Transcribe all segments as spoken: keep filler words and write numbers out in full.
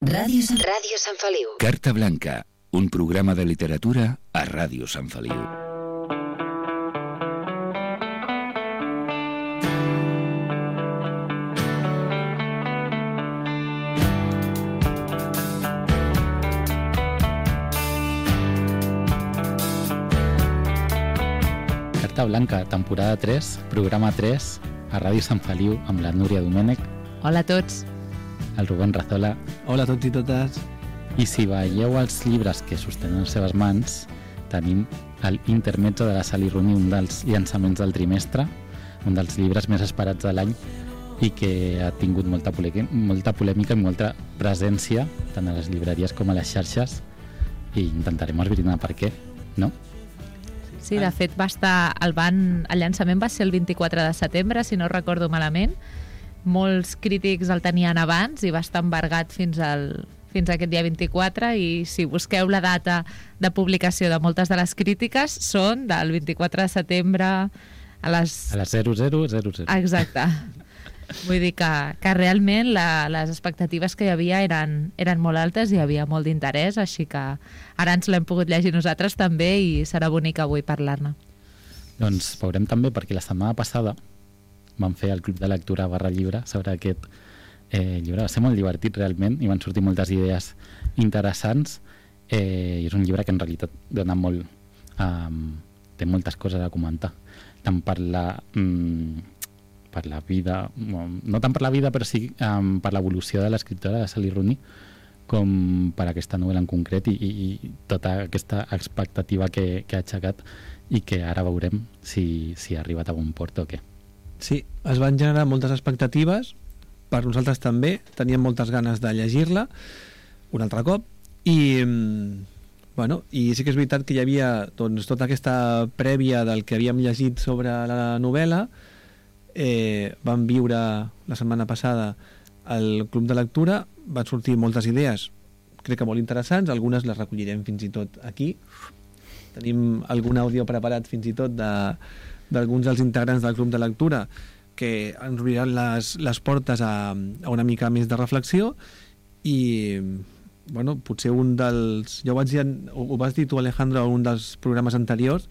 Ràdio Sant, Ràdio Sant Feliu. Carta Blanca, un programa de literatura a Ràdio Sant Feliu. Carta Blanca, temporada tres, programa tres, a Ràdio Sant Feliu, amb la Núria Domènech. Hola a tots. El Rubén Razola. Hola a tots i totes. I si veieu els llibres que sostenen les seves mans, tenim el Intermezzo de la Sally Rooney, un dels llançaments del trimestre, un dels llibres més esperats de l'any i que ha tingut molta, polè- molta polèmica i molta presència tant a les llibreries com a les xarxes, i intentarem esbrinar per què, no? Sí, de fet va estar, el, van, el llançament va ser el vint-i-quatre de setembre, si no recordo malament. Molts crítics el tenien abans i va estar embargat fins, al, fins a aquest dia vint-i-quatre, i si busqueu la data de publicació de moltes de les crítiques són del vint-i-quatre de setembre a les... A les zero zero zero zero. Exacte. Vull dir que, que realment la, les expectatives que hi havia eren, eren molt altes i hi havia molt d'interès, així que ara ens l'hem pogut llegir nosaltres també i serà bonic avui parlar-ne. Doncs veurem també perquè la setmana passada vam fer el club de lectura barra llibre sobre aquest eh, llibre. Va ser molt divertit realment i van sortir moltes idees interessants, eh, i és un llibre que en realitat dona molt, um, té moltes coses a comentar, tant per la... Um, per la vida, no tant per la vida, però sí um, per l'evolució de l'escriptora de Sally Rooney, com per aquesta novel·la en concret i, i, i tota aquesta expectativa que, que ha aixecat i que ara veurem si, si ha arribat a bon port o què. Sí, es van generar moltes expectatives, per nosaltres també, teníem moltes ganes de llegir-la un altre cop, i, bueno, i sí que és veritat que hi havia doncs, tota aquesta prèvia del que havíem llegit sobre la novel·la. Eh, vam viure la setmana passada al club de lectura, van sortir moltes idees, crec que molt interessants, algunes les recollirem fins i tot aquí. Tenim algun àudio preparat fins i tot de, d'alguns dels integrants del club de lectura que ens obriran les, les portes a, a una mica més de reflexió. I bueno, potser un dels... Ja ho, vaig dir, ho, ho vas dir tu, Alejandro, en un dels programes anteriors,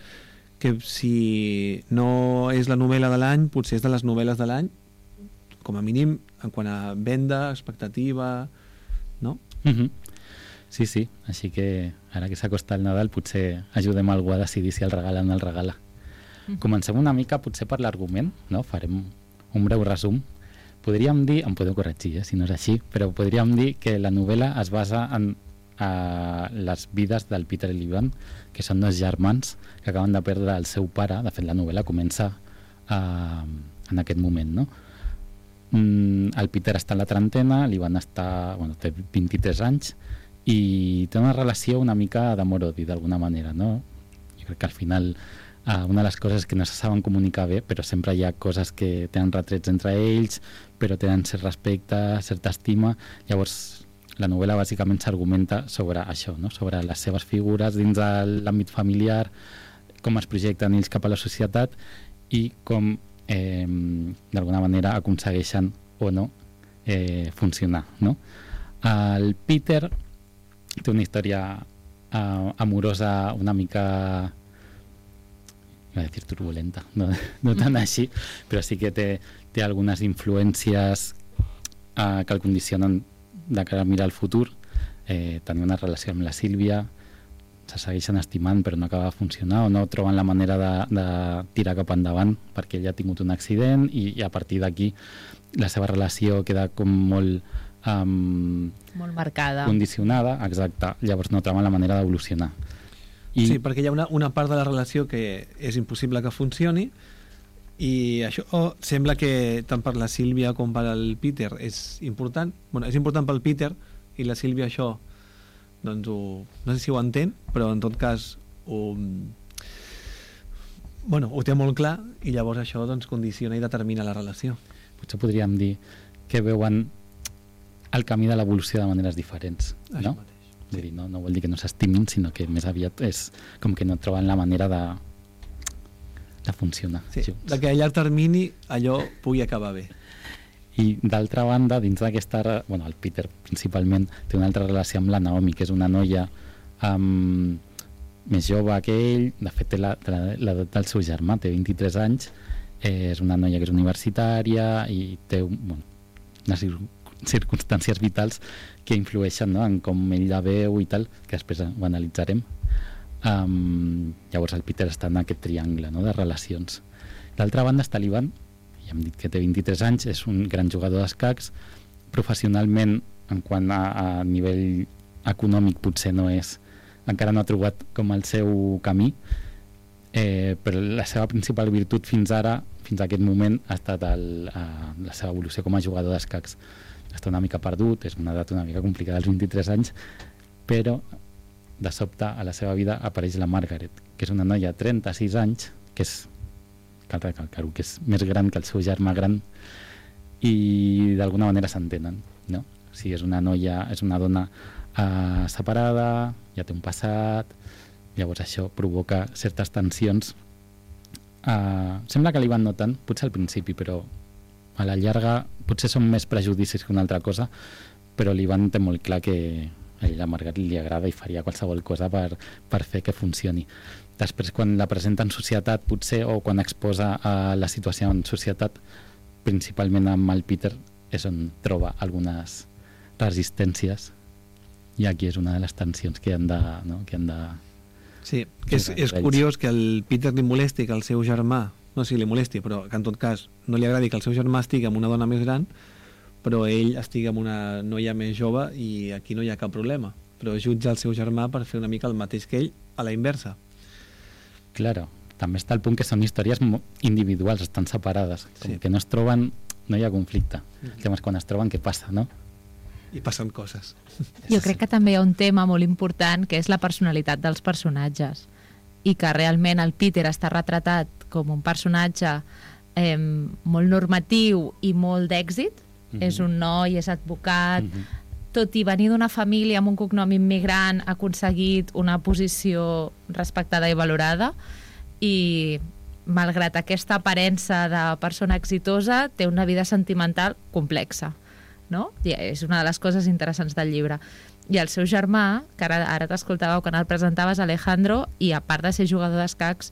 que si no és la novel·la de l'any, potser és de les novel·les de l'any, com a mínim en quant a venda, expectativa, no? Mm-hmm. Sí, sí, així que ara que s'acosta el Nadal potser ajudem algú a decidir si el regalen o el regala. Mm-hmm. Comencem una mica potser per l'argument, no? Farem un breu resum. Podríem dir, em podeu corregir eh, si no és així, però podríem dir que la novel·la es basa en a les vides del Peter i l'Ivan, que són dos germans que acaben de perdre el seu pare. De fet, la novel·la comença uh, en aquest moment, no? Mm, el Peter està en la trentena, l'Ivan està, bueno, té vint-i-tres anys i té una relació una mica d'amor-odi, d'alguna manera, no? Jo crec que al final uh, una de les coses que no se saben comunicar bé, però sempre hi ha coses que tenen retrets entre ells, però tenen cert respecte, certa estima. Llavors la novel·la bàsicament s'argumenta sobre això, no? Sobre les seves figures dins de l'àmbit familiar, com es projecten ells cap a la societat i com eh, d'alguna manera aconsegueixen o no eh, funcionar, no? El Peter té una història eh, amorosa una mica, iba a dir turbulenta, no, no tan així, però sí que té, té algunes influències eh, que el condicionen de cara a mirar el futur. Eh, tenir una relació amb la Sílvia, se segueixen estimant però no acaba de funcionar, o no troben la manera de, de tirar cap endavant perquè ell ha tingut un accident i, i a partir d'aquí la seva relació queda com molt um, molt marcada, condicionada, exacte. Llavors no troben la manera d'evolucionar. I... Sí, perquè hi ha una, una part de la relació que és impossible que funcioni, i això oh, sembla que tant per la Sílvia com per al Peter és important. Bueno, és important pel Peter, i la Sílvia això doncs ho, no sé si ho entén, però en tot cas ho, bueno, ho té molt clar, i llavors això doncs condiciona i determina la relació. Potser podríem dir que veuen el camí de l'evolució de maneres diferents, això no? Mateix. Vull dir, no, no vol dir que no s'estimin, sinó que més aviat és com que no troben la manera de de funcionar. Sí, de que a llarg termini allò pugui acabar bé. I d'altra banda, dins d'aquesta... Bueno, el Peter principalment té una altra relació amb la Naomi, que és una noia um, més jove que ell, de fet té l'edat del seu germà, té vint-i-tres anys, eh, és una noia que és universitària i té bueno, unes circumstàncies vitals que influeixen, no?, en com ell la veu i tal, que després ho analitzarem. Um, llavors el Peter està en aquest triangle, no?, de relacions. D'altra banda està l'Ivan, ja hem dit que té vint-i-tres anys, és un gran jugador d'escacs, professionalment en quant a, a nivell econòmic potser no és, encara no ha trobat com el seu camí, eh, però la seva principal virtut fins ara, fins a aquest moment, ha estat el, a, la seva evolució com a jugador d'escacs. Està una mica perdut, és una edat una mica complicada als vint-i-tres anys, però de sobte a la seva vida apareix la Margaret, que és una noia de trenta-sis anys, que és, cal recalcar-ho, que és més gran que el seu germà gran, i d'alguna manera s'entenen, no? O sigui, és una noia, és una dona uh, separada, ja té un passat, llavors això provoca certes tensions. Uh, sembla que l'Ivan no tant, potser al principi, però a la llarga potser són més prejudicis que una altra cosa, però l'Ivan té molt clar que a ella, a Margaret, li agrada i faria qualsevol cosa per, per fer que funcioni. Després, quan la presenta en societat, potser, o quan exposa a la situació en societat, principalment amb el Peter, és on troba algunes resistències, i aquí és una de les tensions que han de... No? Que han de sí, que és, és curiós que el Peter li molesti que el seu germà, no sé si li molesti, però que en tot cas no li agradi que el seu germà estigui amb una dona més gran, però ell estigui amb una noia més jove i aquí no hi ha cap problema. Però jutja el seu germà per fer una mica el mateix que ell, a la inversa. Claro, també està el punt que són històries individuals, estan separades, com sí. que no es troben, no hi ha conflicte. Mm. El tema és quan es troben què passa, no? I passen coses. Jo crec que també hi ha un tema molt important que és la personalitat dels personatges i que realment el Peter està retratat com un personatge eh, molt normatiu i molt d'èxit. Mm-hmm. És un noi, és advocat, mm-hmm. tot i venir d'una família amb un cognom immigrant ha aconseguit una posició respectada i valorada i malgrat aquesta aparença de persona exitosa té una vida sentimental complexa, no? I és una de les coses interessants del llibre. I el seu germà, que ara, ara t'escoltàveu quan el presentaves, Alejandro, i a part de ser jugador d'escacs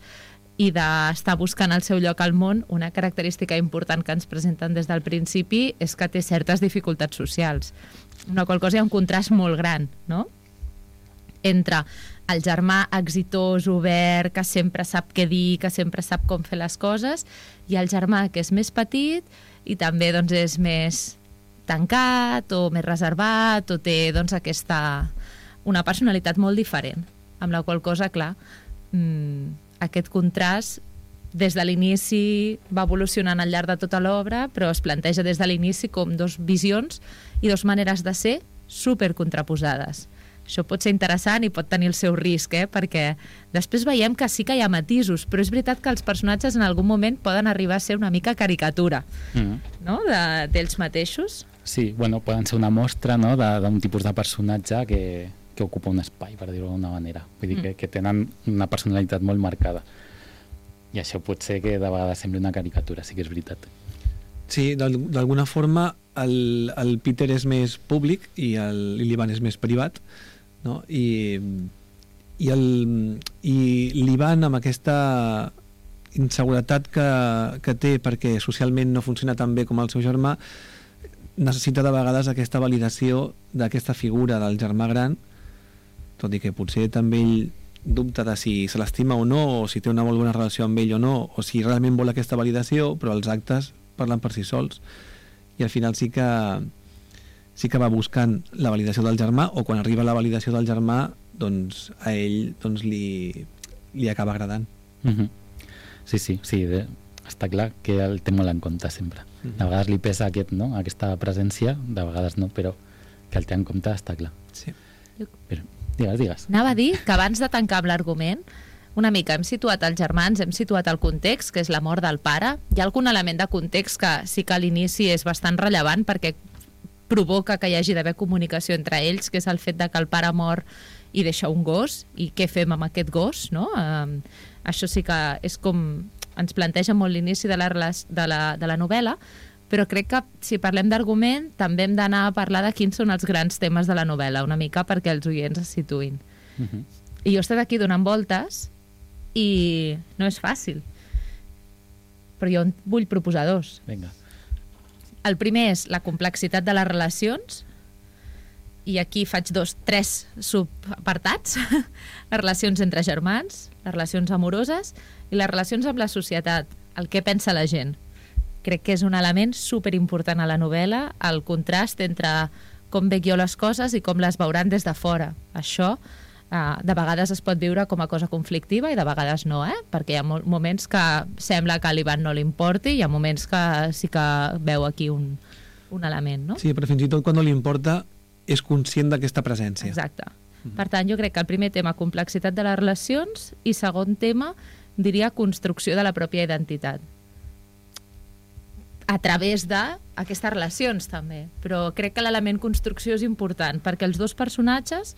i d'estar buscant el seu lloc al món, una característica important que ens presenten des del principi és que té certes dificultats socials. Una qual cosa hi ha un contrast molt gran, no?, entre el germà exitós, obert, que sempre sap què dir, que sempre sap com fer les coses, i el germà que és més petit i també doncs, és més tancat o més reservat o té doncs, aquesta, una personalitat molt diferent, amb la qual cosa, clar, mmm, aquest contrast des de l'inici va evolucionant al llarg de tota l'obra, però es planteja des de l'inici com dos visions i dos maneres de ser super contraposades. Això pot ser interessant i pot tenir el seu risc, eh? Perquè després veiem que sí que hi ha matisos, però és veritat que els personatges en algun moment poden arribar a ser una mica caricatura, mm. no?, de, d'ells mateixos. Sí, bueno, poden ser una mostra, no?, d'un tipus de personatge que, que ocupa un espai, per dir-ho d'una manera. Vull dir mm. que, que tenen una personalitat molt marcada. I això pot ser que de vegades sembli una caricatura, sí que és veritat. Sí, d'alguna forma el, el Peter és més públic i l'Ivan és més privat, no? I, i, el, i l'Ivan, amb aquesta inseguretat que, que té perquè socialment no funciona tan bé com el seu germà, necessita de vegades aquesta validació d'aquesta figura del germà gran, tot i que potser també ell dubta de si se l'estima o no, o si té una molt bona relació amb ell o no, o si realment vol aquesta validació, però els actes parlen per si sols, i al final sí que sí que va buscant la validació del germà, o quan arriba la validació del germà, doncs a ell doncs, li, li acaba agradant. Mm-hmm. Sí, sí, sí, de, està clar que el té molt en compte sempre. Mm-hmm. De vegades li pesa aquest, no? aquesta presència, de vegades no, però que el té en compte està clar. Sí. Però, digues, digues. Anava a dir que abans de tancar amb l'argument, una mica hem situat els germans, hem situat el context, que és la mort del pare. Hi ha algun element de context que sí que a l'inici és bastant rellevant perquè provoca que hi hagi d'haver comunicació entre ells, que és el fet de que el pare mor i deixa un gos, i què fem amb aquest gos, no? Um, això sí que és com ens planteja molt l'inici de la, de, la, de la novel·la, però crec que si parlem d'argument també hem d'anar a parlar de quins són els grans temes de la novel·la, una mica perquè els oients es situïn. Uh-huh. I jo he estat aquí donant voltes i no és fàcil, però jo en vull proposar dos. Vinga. El primer és la complexitat de les relacions, i aquí faig dos, tres subapartats. Les relacions entre germans, les relacions amoroses i les relacions amb la societat, el que pensa la gent. Crec que és un element superimportant a la novel·la, el contrast entre com veig jo les coses i com les veuran des de fora. Això eh, de vegades es pot viure com a cosa conflictiva i de vegades no, eh? Perquè hi ha moments que sembla que a l'Ivan no li importi i hi ha moments que sí que veu aquí un, un element, no? Sí, però fins i tot quan no li importa és conscient d'aquesta presència. Exacte. Per tant, jo crec que el primer tema, complexitat de les relacions, i segon tema, diria construcció de la pròpia identitat. A través d'aquestes relacions, també. Però crec que l'element construcció és important, perquè els dos personatges,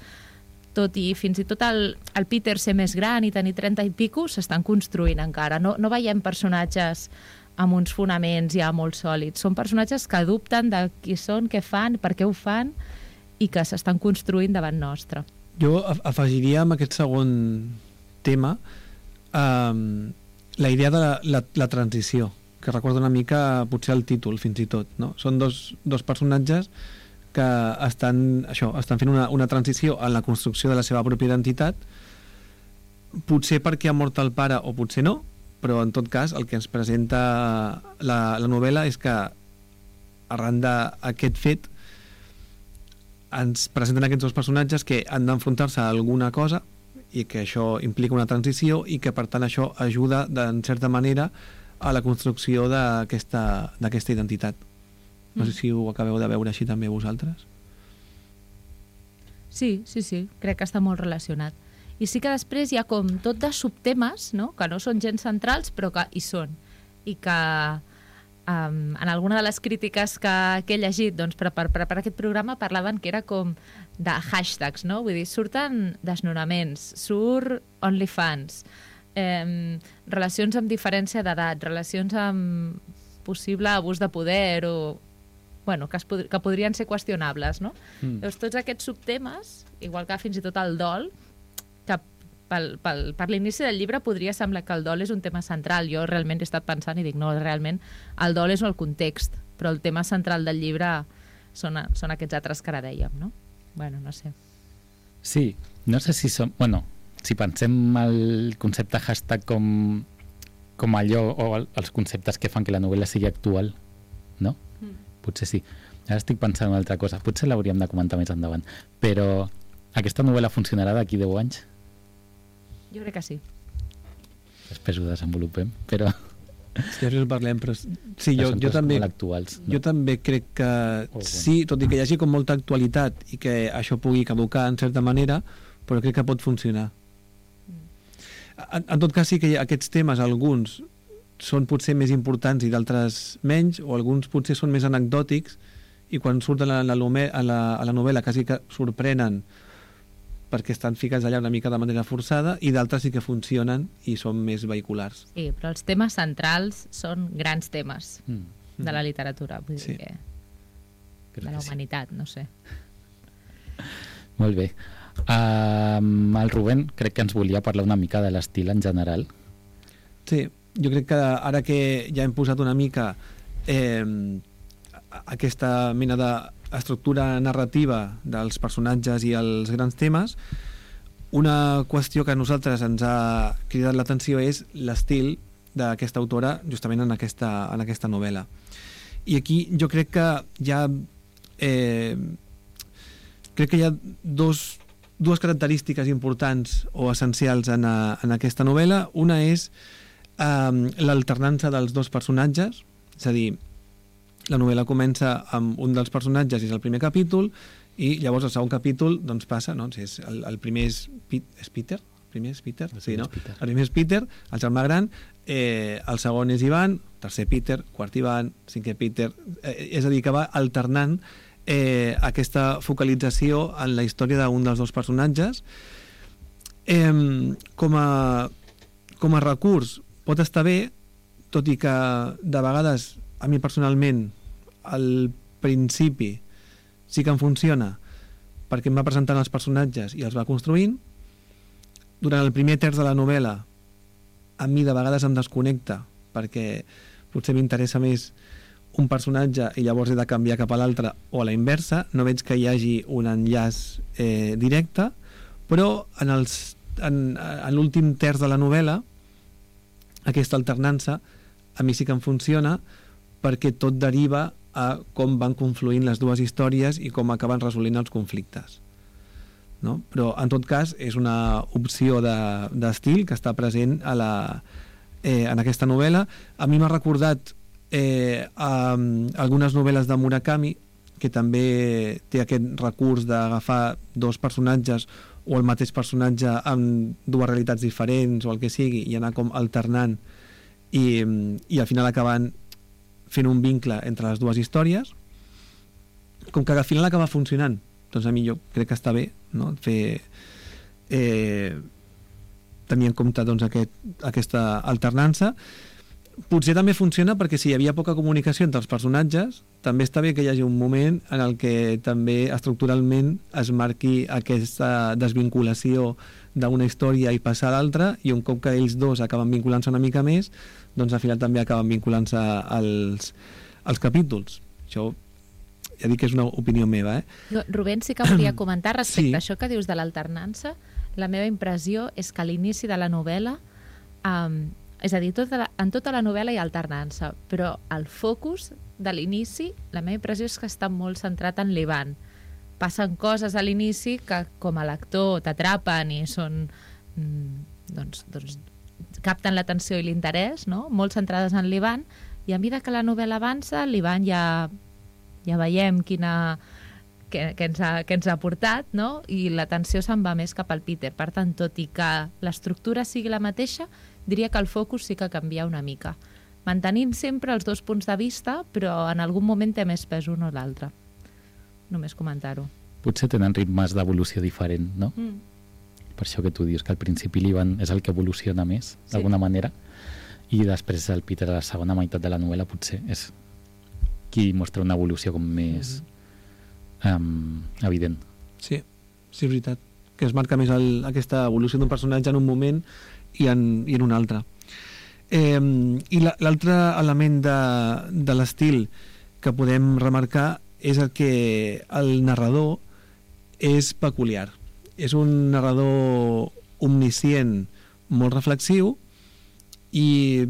tot i fins i tot el, el Peter ser més gran i tenir trenta i pico, s'estan construint encara. No, no veiem personatges amb uns fonaments ja molt sòlids. Són personatges que dubten de qui són, què fan, per què ho fan, i que s'estan construint davant nostre. Jo afegiria amb aquest segon tema um, la idea de la, la, la transició, que recorda una mica potser el títol, fins i tot, no? Són dos, dos personatges que estan, això, estan fent una, una transició en la construcció de la seva pròpia identitat, potser perquè ha mort el pare o potser no, però en tot cas el que ens presenta la, la novel·la és que arran d'aquest fet ens presenten aquests dos personatges que han d'enfrontar-se a alguna cosa i que això implica una transició i que per tant això ajuda en certa manera a la construcció d'aquesta d'aquesta identitat. No sé si ho acabeu de veure així també vosaltres. Sí, sí, sí, crec que està molt relacionat. I sí que després hi ha com tot de subtemes, no?, que no són gens centrals però que hi són, i que Um, en alguna de les crítiques que, que he llegit doncs, per, per preparar aquest programa parlaven que era com de hashtags, no? Vull dir, surten desnonaments, surt OnlyFans, eh, relacions amb diferència d'edat, relacions amb possible abús de poder o bueno, que, es pod que podrien ser qüestionables, no? Mm. Llavors, tots aquests subtemes, igual que fins i tot el dol, que Pel, pel, per l'inici del llibre podria semblar que el dol és un tema central. Jo realment he estat pensant i dic, no, realment el dol és el context, però el tema central del llibre són, són aquests altres que ara dèiem, no? Bueno, no sé. Sí, no sé si som... Bueno, si pensem el concepte hashtag com, com allò, o el, els conceptes que fan que la novel·la sigui actual, no? Mm. Potser sí. Ara estic pensant en una altra cosa. Potser l'hauríem de comentar més endavant. Però aquesta novel·la funcionarà d'aquí deu anys? Jo crec que sí. Després ho desenvolupem, però... Sí, després en parlem, però... Sí, jo, jo, també, actuals, no? jo també crec que oh, bueno. Sí, tot i que hi hagi com molta actualitat i que això pugui caducar en certa manera, però crec que pot funcionar. En, en tot cas sí que hi ha aquests temes, alguns són potser més importants i d'altres menys, o alguns potser són més anecdòtics i quan surten a la, a la, a la novel·la quasi que sorprenen perquè estan ficats allà una mica de manera forçada, i d'altres sí que funcionen i són més vehiculars. Sí, però els temes centrals són grans temes mm. de la literatura, vull sí. dir que... Crec de la humanitat, sí. No sé. Molt bé. Um, el Rubén crec que ens volia parlar una mica de l'estil en general. Sí, jo crec que ara que ja hem posat una mica eh, aquesta mena de estructura narrativa dels personatges i els grans temes, una qüestió que a nosaltres ens ha cridat l'atenció és l'estil d'aquesta autora justament en aquesta, en aquesta novel·la. I aquí jo crec que hi ha eh, crec que hi ha dos, dues característiques importants o essencials en, a, en aquesta novel·la. Una és eh, l'alternança dels dos personatges, és a dir, la novel·la comença amb un dels personatges, és el primer capítol, i llavors el segon capítol doncs passa, no? És el, el primer és, és Peter, el primer és Peter, el sí, no? Peter. El primer és Peter, el germà gran, eh, el segon és Ivan, tercer Peter, quart Ivan, cinquè Peter, eh, és a dir, que va alternant eh, aquesta focalització en la història d'un dels dos personatges. Eh, com, a, com a recurs pot estar bé, tot i que de vegades a mi personalment al principi sí que em funciona perquè em va presentant els personatges i els va construint. Durant el primer terç de la novel·la a mi de vegades em desconnecta perquè potser m'interessa més un personatge i llavors he de canviar cap a l'altre o a la inversa, no veig que hi hagi un enllaç eh, directe, però en, els, en, en l'últim terç de la novel·la aquesta alternança a mi sí que em funciona perquè tot deriva a com van confluint les dues històries i com acaben resolent els conflictes. No? Però en tot cas és una opció d'estil de, que està present a la, eh, en aquesta novel·la. A mi m'ha recordat eh, a, a algunes novel·les de Murakami, que també té aquest recurs d'agafar dos personatges o el mateix personatge amb dues realitats diferents o el que sigui i anar com alternant i, i al final acabant fent un vincle entre les dues històries. Com que al final acaba funcionant, doncs a mi jo crec que està bé, no? Fer eh, tenir en compte doncs, aquest, aquesta alternança. Potser també funciona perquè si hi havia poca comunicació entre els personatges, també està bé que hi hagi un moment en el que també estructuralment es marqui aquesta desvinculació d'una història i passar a l'altra, i un cop que ells dos acaben vinculant-se una mica més, doncs al final també acaben vinculant-se als, als capítols. Això ja dic que és una opinió meva, eh? Jo, Rubén, sí que volia comentar respecte Sí. a això que dius de l'alternança. La meva impressió és que a l'inici de la novel·la, um, és a dir, tota la, en tota la novel·la hi ha alternança, però el focus de l'inici, la meva impressió és que està molt centrat en l'Ivan. Passen coses a l'inici que com a lector t'atrapen i són mm, doncs, doncs capten l'atenció i l'interès, no? Molt centrades en l'Ivan, i a mesura que la novel·la avança, l'Ivan ja, ja veiem quina, que, que, ens ha, que ens ha portat, no? I l'atenció se'n va més cap al Peter. Per tant, tot i que l'estructura sigui la mateixa, diria que el focus sí que canvia una mica, mantenint sempre els dos punts de vista, però en algun moment té més pes un o l'altre. Només comentar-ho. Potser tenen ritmes d'evolució diferent, no? Mm. Per això que tu dius que al principi l'Ivan és el que evoluciona més, Sí. d'alguna manera, i després el Peter a la segona meitat de la novel·la potser és qui mostra una evolució com més mm. um, evident. Sí, sí, és veritat. Que es marca més el, aquesta evolució d'un personatge en un moment i en, i en un altre. Eh, I l'altre element de, de l'estil que podem remarcar és el que el narrador és peculiar. És un narrador omniscient, molt reflexiu, i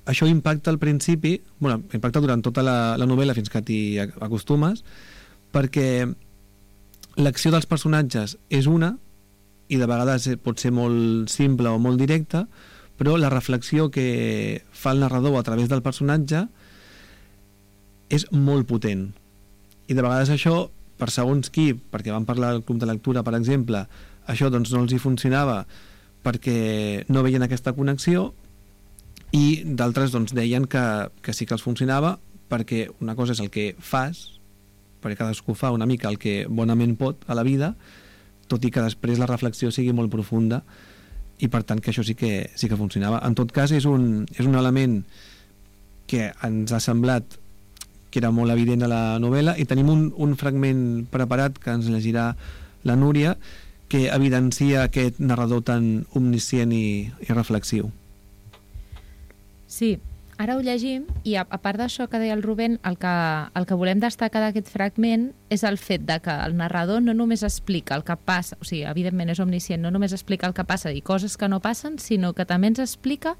això impacta al principi, bueno, impacta durant tota la, la novel·la fins que t'hi acostumes, perquè l'acció dels personatges és una, i de vegades pot ser molt simple o molt directa, però la reflexió que fa el narrador a través del personatge és molt potent. I de vegades això, per segons qui, perquè vam parlar al club de lectura, per exemple, això doncs no els hi funcionava perquè no veien aquesta connexió, i d'altres doncs deien que, que sí que els funcionava perquè una cosa és el que fas, perquè cadascú fa una mica el que bonament pot a la vida, tot i que després la reflexió sigui molt profunda, i per tant que això sí que, sí que funcionava. En tot cas és un, és un element que ens ha semblat que era molt evident a la novel·la, i tenim un, un fragment preparat que ens llegirà la Núria, que evidencia aquest narrador tan omniscient i, i reflexiu. Sí, ara ho llegim, i a, a part d'això que deia el Rubén, el que, el que volem destacar d'aquest fragment és el fet de que el narrador no només explica el que passa, o sigui, evidentment és omniscient, no només explica el que passa i coses que no passen, sinó que també ens explica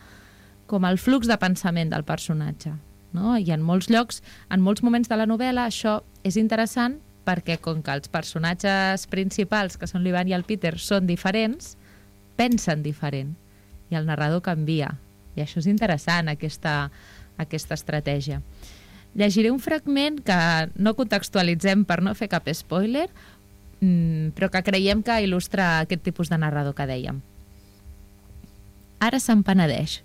com el flux de pensament del personatge, no? I en molts llocs, en molts moments de la novel·la, això és interessant perquè com que els personatges principals, que són l'Ivan i el Peter, són diferents, pensen diferent, i el narrador canvia. I això és interessant, aquesta, aquesta estratègia. Llegiré un fragment que no contextualitzem per no fer cap spoiler, però que creiem que il·lustra aquest tipus de narrador que dèiem. Ara se'n penedeix.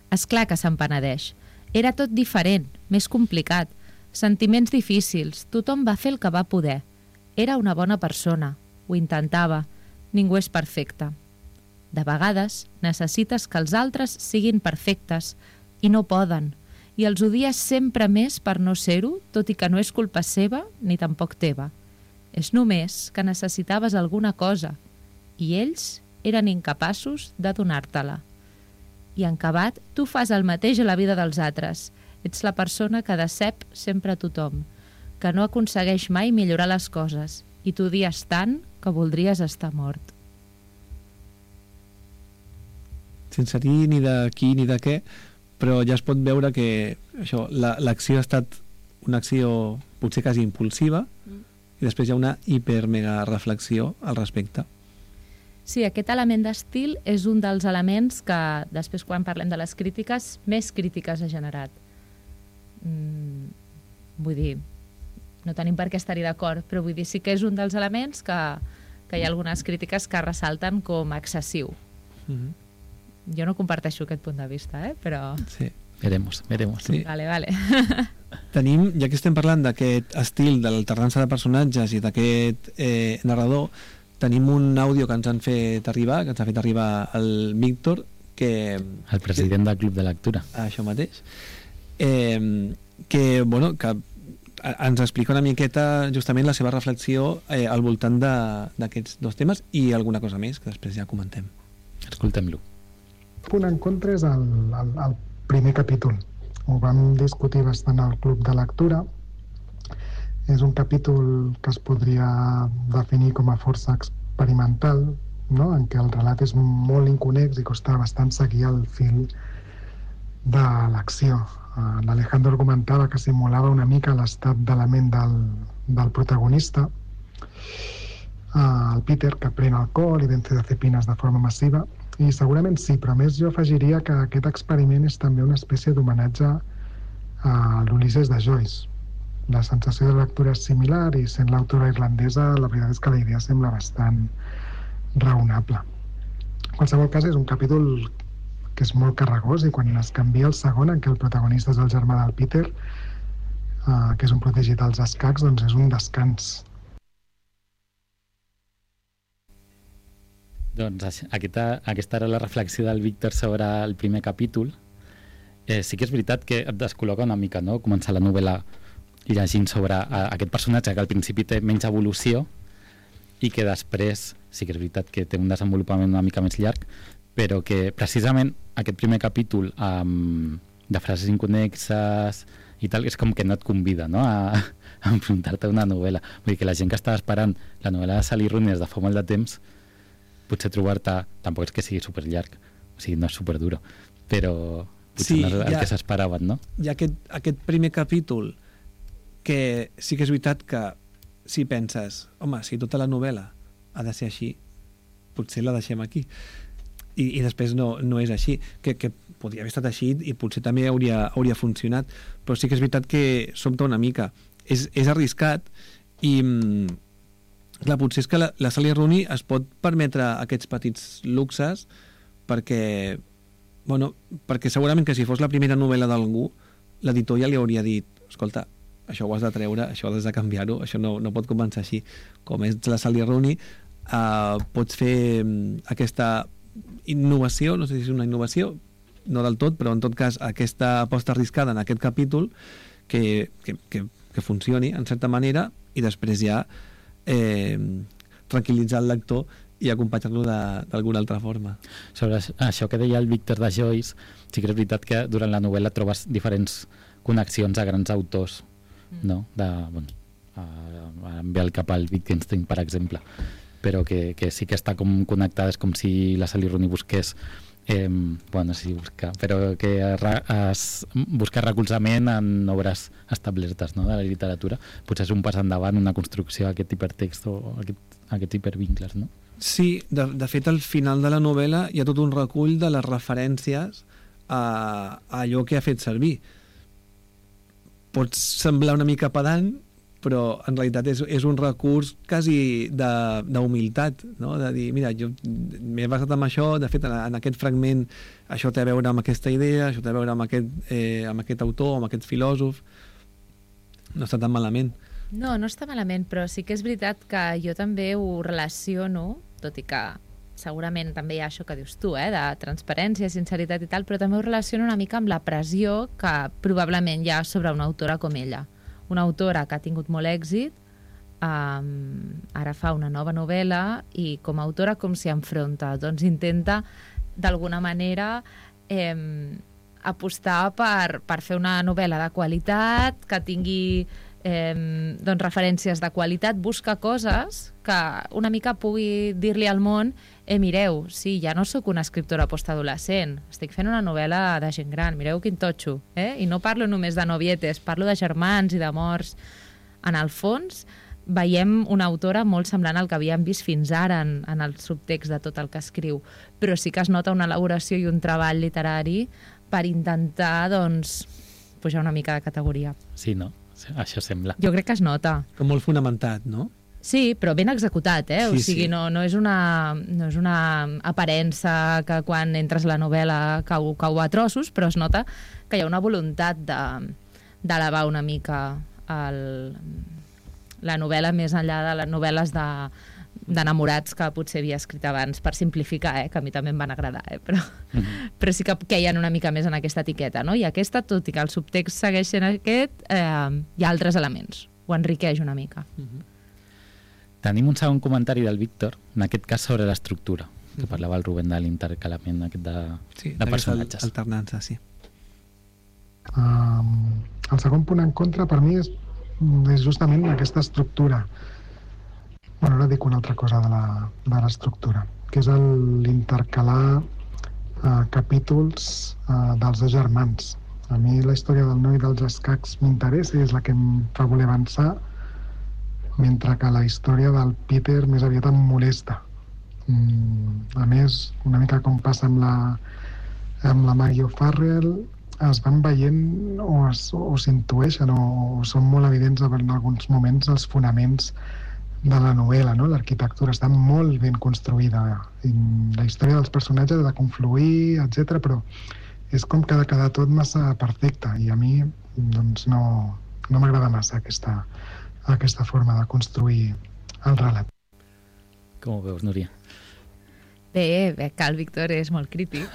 És clar que se'n penedeix. Era tot diferent, més complicat. Sentiments difícils. Tothom va fer el que va poder. Era una bona persona. Ho intentava. Ningú és perfecte. De vegades necessites que els altres siguin perfectes i no poden. i els odies sempre més per no ser-ho, tot i que no és culpa seva ni tampoc teva. És només que necessitaves alguna cosa i ells eren incapaços de donar-te-la. I en acabat, tu fas el mateix a la vida dels altres. Ets la persona que decep sempre a tothom, que no aconsegueix mai millorar les coses i t'odies tant que voldries estar mort. Sense dir ni de qui ni de què, però ja es pot veure que això, la, l'acció ha estat una acció potser quasi impulsiva mm. i després hi ha una hiper-mega reflexió al respecte. Sí, aquest element d'estil és un dels elements que, després quan parlem de les crítiques, més crítiques ha generat. Mm, vull dir, no tenim per què estar-hi d'acord, però vull dir, sí que és un dels elements que, que hi ha algunes crítiques que ressalten com excessiu. Mm-hmm. Jo no comparteixo aquest punt de vista, eh? Però... Sí. Veremos, veremos. Sí. Vale, vale. Tenim, ja que estem parlant d'aquest estil de l'alternança de personatges i d'aquest eh, narrador, tenim un àudio que ens han fet arribar, que ens ha fet arribar el Víctor, que... El president que, del Club de Lectura. Això mateix. Eh, que, bueno, que ens explica una miqueta justament la seva reflexió eh, al voltant d'aquests dos temes i alguna cosa més, que després ja comentem. Escoltem-lo. El punt en contra és el, el, el primer capítol. Ho vam discutir bastant al Club de Lectura. És un capítol que es podria definir com a força experimental, no? En què el relat és molt inconex i costa bastant seguir el fil de l'acció. Uh, L'Alejandro argumentava que simulava una mica l'estat de la ment del, del protagonista, uh, el Peter, que pren alcohol i benzodiazepines de forma massiva, i segurament sí, però més jo afegiria que aquest experiment és també una espècie d'homenatge a l'Ulisses de Joyce. La sensació de lectura és similar i sent l'autora irlandesa, la veritat és que la idea sembla bastant raonable. En qualsevol cas, és un capítol que és molt carregós i quan es canvia el segon, en què el protagonista és el germà del Peter, eh, que és un protegit dels escacs, doncs és un descans. Doncs aquesta, aquesta era la reflexió del Víctor sobre el primer capítol. Eh, sí que és veritat que et descol·loca una mica, no?, començar la novel·la llegint sobre a, aquest personatge que al principi té menys evolució i que després sí que és veritat que té un desenvolupament una mica més llarg, però que precisament aquest primer capítol um, de frases inconexes i tal, és com que no et convida, no?, a, a enfrontar-te a una novel·la. Vull dir que la gent que estava esperant la novel·la de Sally Rooney des de fa molt de temps, potser trobar-te, tampoc és que sigui superllarg, o sigui, no és superduro, però potser sí, no és el ha, que s'esperaven, no? Hi ha aquest, aquest primer capítol que sí que és veritat que si penses, home, si tota la novel·la ha de ser així, potser la deixem aquí. I, i després no, no és així, que, que podria haver estat així i potser també hauria, hauria funcionat, però sí que és veritat que sobta una mica. És, és arriscat i... Clar, potser és que la, la Sally Rooney es pot permetre aquests petits luxes perquè, bueno, perquè segurament que si fos la primera novel·la d'algú, l'editor ja li hauria dit, escolta, això ho has de treure, això has de canviar-ho, això no, no pot començar així. Com és la Sally Rooney, eh, pots fer aquesta innovació, no sé si és una innovació, no del tot, però en tot cas aquesta aposta arriscada en aquest capítol que, que, que, que funcioni en certa manera i després ja Eh, tranquil·litzar el lector i acompanyar-lo d'alguna altra forma. Sobre això que deia el Víctor de Joyce, sí que és veritat que durant la novel·la trobes diferents connexions a grans autors, mm. no? De, bueno, em ve al cap el Wittgenstein, per exemple, però que, que sí que està com connectada, és com si la Sally Rooney busqués Eh, bueno, sí, buscar, però que es busca recolzament en obres establertes, no?, de la literatura. Potser és un pas endavant, una construcció d'aquest hipertext o aquest, aquests hipervincles, no? Sí, de, de fet al final de la novel·la hi ha tot un recull de les referències a, a allò que ha fet servir. Pot semblar una mica pedant, però en realitat és, és un recurs quasi d'humilitat, no? De dir, mira, jo m'he basat en això, de fet en, en aquest fragment això té a veure amb aquesta idea, això té a veure amb aquest, eh, amb aquest autor, amb aquest filòsof. No està tan malament. No, no està malament, però sí que és veritat que jo també ho relaciono, tot i que segurament també hi ha això que dius tu, eh, de transparència, sinceritat i tal, però també ho relaciona una mica amb la pressió que probablement hi ha sobre una autora com ella. Una autora que ha tingut molt èxit, um, ara fa una nova novel·la i com a autora com s'hi enfronta? Doncs intenta d'alguna manera eh, apostar per, per fer una novel·la de qualitat, que tingui eh, doncs referències de qualitat, busca coses que una mica pugui dir-li al món eh, mireu, sí, ja no sóc una escriptora postadolescent, estic fent una novel·la de gent gran, mireu quin totxo, eh? I no parlo només de novietes, parlo de germans i de morts. En el fons, veiem una autora molt semblant al que havíem vist fins ara en, en el subtext de tot el que escriu, però sí que es nota una elaboració i un treball literari per intentar, doncs, pujar una mica de categoria. Sí, no? Això sembla. Jo crec que es nota. Com molt fonamentat, no? Sí, però ben executat, eh? Sí, o sigui, sí. no, no, és una, no és una aparença que quan entres a la novel·la cau, cau a trossos, però es nota que hi ha una voluntat de, d'elevar una mica el, la novel·la més enllà de les novel·les de, d'enamorats que potser havia escrit abans, per simplificar, eh? Que a mi també em van agradar, eh? però, mm-hmm. però sí que queien una mica més en aquesta etiqueta, no? I aquesta, tot i que el subtext segueix sent aquest, eh, hi ha altres elements, ho enriqueix una mica. Mm-hmm. Tenim un segon comentari del Víctor, en aquest cas sobre l'estructura, que parlava el Rubén de l'intercalament aquest de, sí, de personatges. Alternança, sí. Um, el segon punt en contra per mi és, és justament aquesta estructura. Bueno, ara dic una altra cosa de, la, de l'estructura, que és el, l'intercalar uh, capítols uh, dels dos germans. A mi la història del noi dels escacs m'interessa i és la que em fa voler avançar, mentre que la història del Peter més aviat em molesta. Mm, a més, una mica com passa amb la, amb la Maggie O'Farrell, es van veient o, es, o s'intueixen o, o són molt evidents en alguns moments els fonaments de la novel·la, no? L'arquitectura està molt ben construïda, i la història dels personatges ha de confluir, etcètera, però és com que ha de quedar tot massa perfecte i a mi doncs, no, no m'agrada massa aquesta, aquesta forma de construir el relat. Com ho veus, Núria? Bé, bé, que el Víctor és molt crític,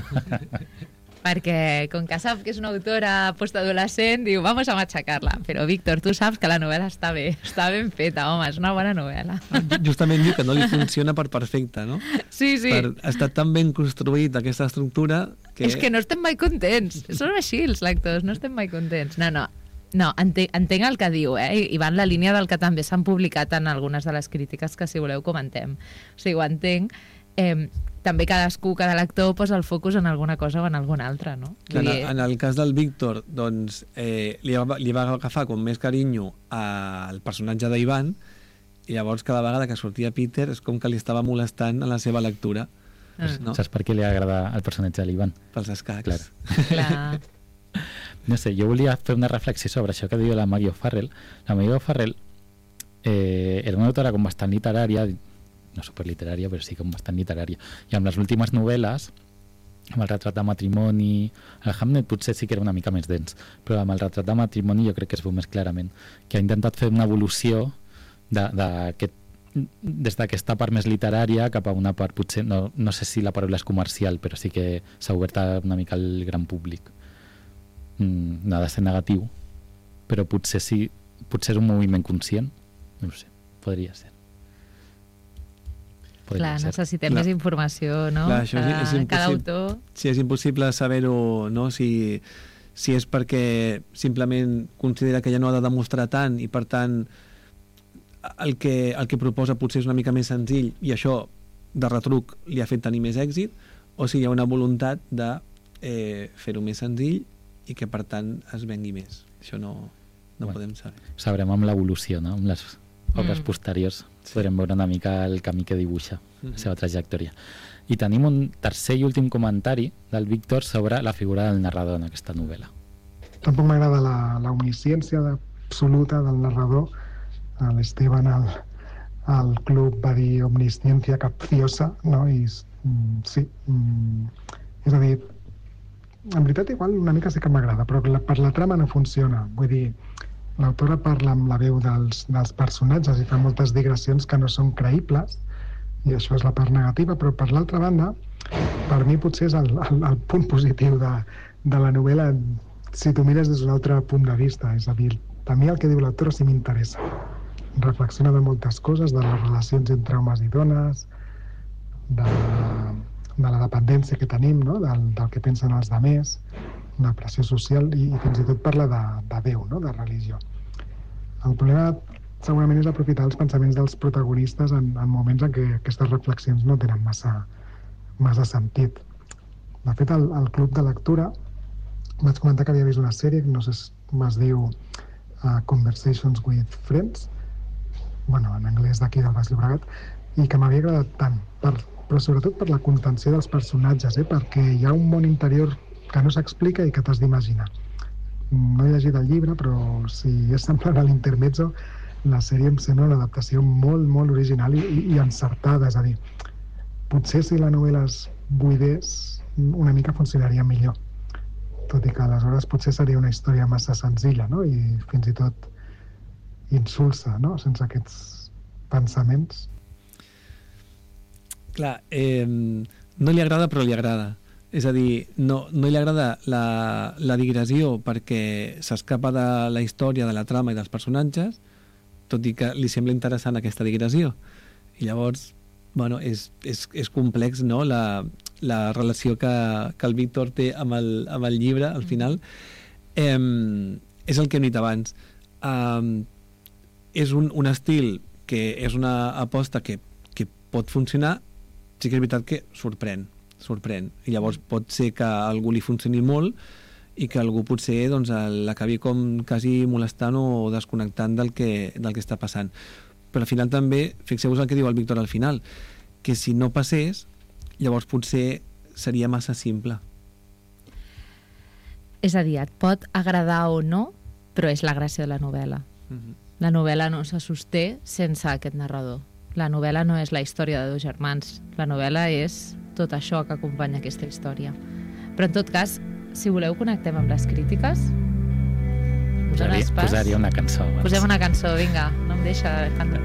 perquè com que sap que és una autora postadolescent, diu, vamos a machacar-la. Però, Víctor, tu saps que la novel·la està bé, està ben feta, home, és una bona novel·la. Justament diu que no li funciona per perfecte, no? Sí, sí. Per estar tan ben construït aquesta estructura que... És que no estem mai contents. Són així els lectors, no estem mai contents. No, no. No, entenc, entenc el que diu, eh? I va en la línia del que també s'han publicat en algunes de les crítiques que, si voleu, comentem. O sigui, ho entenc. Eh, també cadascú, cada lector posa el focus en alguna cosa o en alguna altra, no? En, el, en el cas del Víctor, doncs, eh, li, va, li va agafar com més carinyo al personatge d'Ivan i llavors cada vegada que sortia Peter és com que li estava molestant en la seva lectura. Ah. No? Saps per què li agrada el personatge de l'Ivan? Pels escacs. Clar. Clar. No sé, jo volia fer una reflexió sobre això que diu la Maggie O'Farrell. La Maggie O'Farrell eh, era una autora com bastant literària, no superliterària, però sí com bastant literària. I amb les últimes novel·les, amb el retrat de matrimoni, el Hamnet potser sí que era una mica més dens, però amb el retrat de matrimoni jo crec que es veu més clarament, que ha intentat fer una evolució de, de aquest, des d'aquesta part més literària cap a una part, potser, no, no sé si la paraula és comercial, però sí que s'ha obert una mica al gran públic. Mm, no ha de ser negatiu, però potser sí, potser és un moviment conscient, no ho sé, podria ser. Podria Clar, ser. Necessitem Clar. més informació, no? Clar, això és, és cada autor... Sí, és impossible saber-ho, no? Si, si és perquè simplement considera que ja no ha de demostrar tant i per tant el que, el que proposa potser és una mica més senzill i això de retruc li ha fet tenir més èxit, o si hi ha una voluntat de eh, fer-ho més senzill i que per tant es vengui més. Això no, no bueno, podem saber. Sabrem amb l'evolució, no? Amb les obres mm. posteriors sí. podrem veure una mica el camí que dibuixa mm-hmm. la seva trajectòria. I tenim un tercer i últim comentari del Víctor sobre la figura del narrador en aquesta novel·la. Tampoc m'agrada la, la omnisciència absoluta del narrador. L'Esteban al, al club va dir omnisciencia capciosa, no? I mm, sí, mm, és a dir, en veritat igual una mica sí que m'agrada, però la, per la trama no funciona. Vull dir, l'autora parla amb la veu dels, dels personatges i fa moltes digressions que no són creïbles i això és la part negativa, però per l'altra banda, per mi potser és el, el, el punt positiu de, de la novel·la si t'ho mires des d'un altre punt de vista, és a dir, a mi el que diu l'autor sí m'interessa. Reflexiona de moltes coses, de les relacions entre homes i dones, de, de la dependència que tenim, no? del, del que pensen els demés, la pressió social i, i fins i tot parla de, de Déu, no? De religió. El problema segurament és aprofitar els pensaments dels protagonistes en, en moments en què aquestes reflexions no tenen massa, massa sentit. De fet, al, al club de lectura vaig comentar que havia vist una sèrie, no sé com es diu, uh, Conversations with Friends, bueno, en anglès d'aquí del Baix Llobregat, i que m'havia agradat tant, per, però sobretot per la contenció dels personatges, eh? Perquè hi ha un món interior que no s'explica i que t'has d'imaginar. No he llegit el llibre, però si és semblant a l'Intermezzo, la sèrie em sembla una adaptació molt, molt original i, i encertada, és a dir, potser si la novel·la es buidés una mica funcionaria millor, tot i que aleshores potser seria una història massa senzilla, no? I fins i tot insulsa, no? Sense aquests pensaments. Clar, eh, no li agrada però li agrada. És a dir, no, no li agrada la, la digressió perquè s'escapa de la història, de la trama i dels personatges, tot i que li sembla interessant aquesta digressió. I llavors, bueno, és, és, és complex, no?, la, la relació que, que el Víctor té amb el, amb el llibre, al final. Eh, és el que hem dit abans. Eh, és un, un estil que és una aposta que, que pot funcionar, sí que és veritat que sorprèn, sorprèn. I llavors pot ser que a algú li funcioni molt i que algú potser doncs, l'acabi com quasi molestant o desconnectant del que, del que està passant. Però al final també, fixeu-vos el que diu el Víctor al final, que si no passés, llavors potser seria massa simple. És a dir, et pot agradar o no, però és la gràcia de la novel·la. Mm-hmm. La novel·la no se sosté sense aquest narrador. La novel·la no és la història de dos germans. La novel·la és tot això que acompanya aquesta història. Però en tot cas, si voleu, connectem amb les crítiques. Posaria, posaria una cançó. Abans. Posem una cançó, vinga. No em deixa, Alejandro.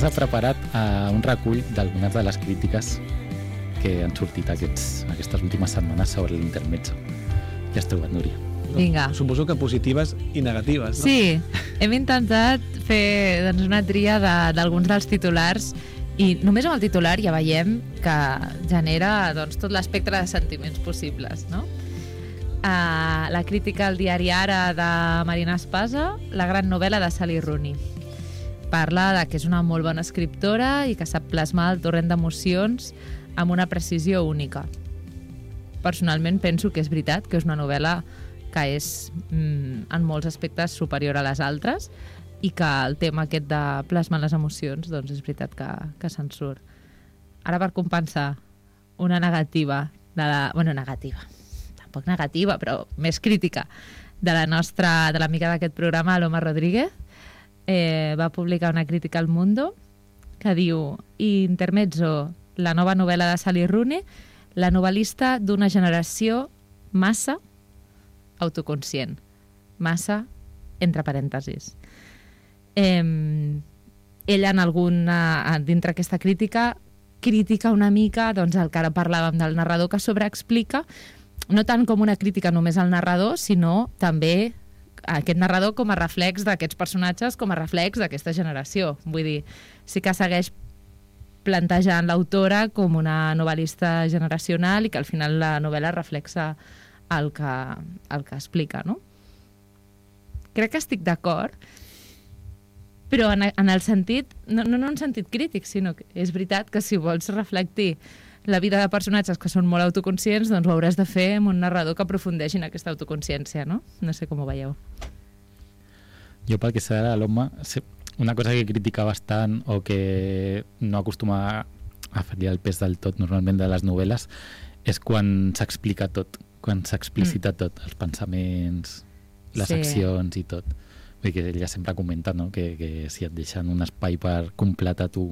S'ha preparat uh, un recull d'algunes de les crítiques que han sortit aquests, aquestes últimes setmanes sobre l'Intermezzo. Ja has trobat, Núria? Vinga. Suposo que positives i negatives, no? Sí, hem intentat fer doncs, una tria d'alguns de, dels titulars i només amb el titular ja veiem que genera doncs, tot l'espectre de sentiments possibles, no? Uh, la crítica al diari Ara de Marina Espasa, la gran novel·la de Sally Rooney. Parla de que és una molt bona escriptora i que sap plasmar el torrent d'emocions amb una precisió única. Personalment penso que és veritat que és una novel·la que és mm, en molts aspectes superior a les altres i que el tema aquest de plasmar les emocions doncs és veritat que, que se'n surt. Ara, per compensar una negativa, de la, bueno, negativa, tampoc negativa, però més crítica, de la nostra, de l'amiga d'aquest programa, Aloma Rodríguez, Eh, va publicar una crítica al Mundo que diu: Intermezzo, la nova novel·la de Sally Rooney, la novel·lista d'una generació massa autoconscient. Massa, entre parèntesis. Eh, ella, en alguna, dintre aquesta crítica, critica una mica doncs, el que ara parlàvem del narrador, que sobreexplica, no tant com una crítica només al narrador, sinó també aquest narrador com a reflex d'aquests personatges, com a reflex d'aquesta generació. Vull dir, sí que segueix plantejant l'autora com una novel·lista generacional i que al final la novel·la reflexa el que, el que explica, no? Crec que estic d'acord, però en, en el sentit, no, no en un sentit crític, sinó que és veritat que si vols reflectir la vida de personatges que són molt autoconscients, doncs ho hauràs de fer amb un narrador que aprofundeixi en aquesta autoconsciència, no? No sé com ho veieu. Jo, pel que sé de l'home, una cosa que critica bastant o que no acostuma a fer-li el pes del tot normalment de les novel·les és quan s'explica tot, quan s'explicita mm. tot, els pensaments, les sí. accions i tot. Vull dir que ella sempre comenta, no?, que, que si et deixen un espai per completar tu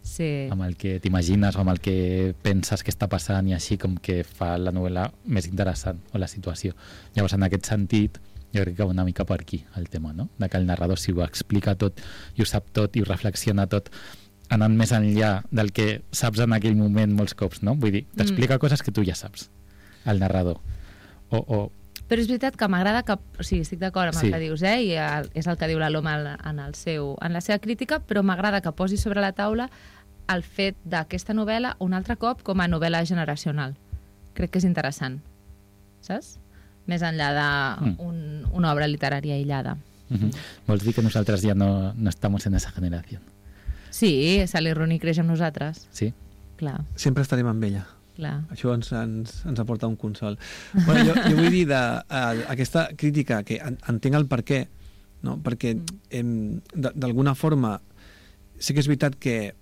sí. amb el que t'imagines o amb el que penses que està passant i així com que fa la novel·la més interessant o la situació. Llavors, en aquest sentit, jo crec que va una mica per aquí el tema, no? De que el narrador si ho explica tot i ho sap tot i ho reflexiona tot anant més enllà del que saps en aquell moment molts cops, no? Vull dir, t'explica mm. coses que tu ja saps, el narrador. O, o... Però és veritat que m'agrada que... O sigui, estic d'acord amb sí. el que dius, eh? I el, és el que diu la Loma en, el seu, en la seva crítica, però m'agrada que posi sobre la taula el fet d'aquesta novel·la un altre cop com a novel·la generacional. Crec que és interessant, saps? Més enllà d'una un, una obra literària aïllada. Uh-huh. Vols dir que nosaltres ja no, no estem en esa generació? Sí, Sally Rooney creix amb nosaltres. Sí? Clar. Sempre estarem amb ella. Clar. Això ens, ens, ens aporta un consol. Bueno, jo, jo vull dir de, uh, aquesta crítica, que en, entenc el per què, no? Perquè mm. d'alguna forma sí que és veritat que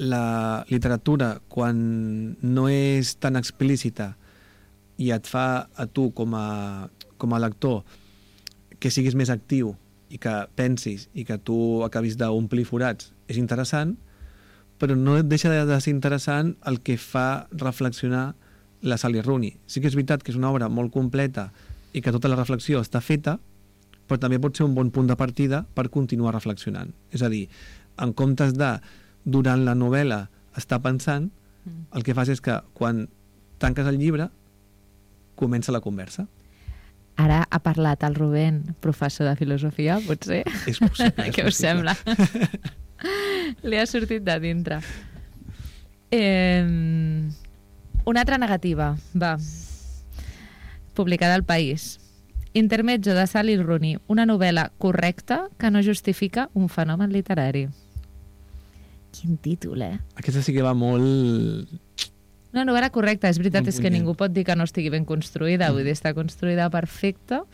la literatura, quan no és tan explícita i et fa a tu com a, com a lector que siguis més actiu i que pensis i que tu acabis d'omplir forats, és interessant, però no et deixa de ser interessant el que fa reflexionar la Sally Rooney. Sí que és veritat que és una obra molt completa i que tota la reflexió està feta, però també pot ser un bon punt de partida per continuar reflexionant. És a dir, en comptes de, durant la novel·la, estar pensant, el que fas és que quan tanques el llibre comença la conversa. Ara ha parlat el Rubén, professor de filosofia, potser? És possible. És Què us sembla? Li ha sortit de dintre. Eh, una altra negativa, va. Publicada al País. Intermezzo de Sally Rooney, una novel·la correcta que no justifica un fenomen literari. Quin títol, eh? Aquesta sí que va molt... Una novel·la correcta, és veritat, és que ningú pot dir que no estigui ben construïda, mm. vull dir, està construïda perfecta.